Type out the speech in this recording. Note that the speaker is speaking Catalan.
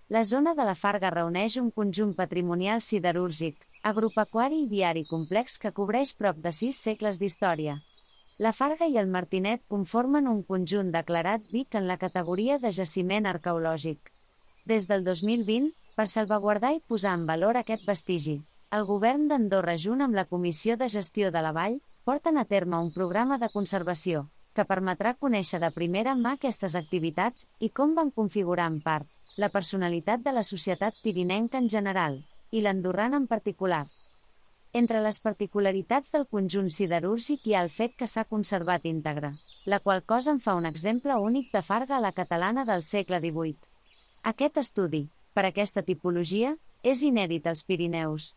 La zona de la Farga reuneix un conjunt patrimonial siderúrgic, agropecuari i viari complex que cobreix prop de 6 segles d'història. La Farga i el Martinet conformen un conjunt declarat Vic en la categoria de jaciment arqueològic. Des del 2020, per salvaguardar i posar en valor aquest vestigi, el govern d'Andorra junt amb la Comissió de Gestió de la Vall, porten a terme un programa de conservació, que permetrà conèixer de primera mà aquestes activitats i com van configurar en part la personalitat de la societat pirinenca en general, i l'andorrana en particular. Entre les particularitats del conjunt siderúrgic hi ha el fet que s'ha conservat íntegre, la qual cosa en fa un exemple únic de Farga a la catalana del segle XVIII. Aquest estudi, per aquesta tipologia, és inèdit als Pirineus.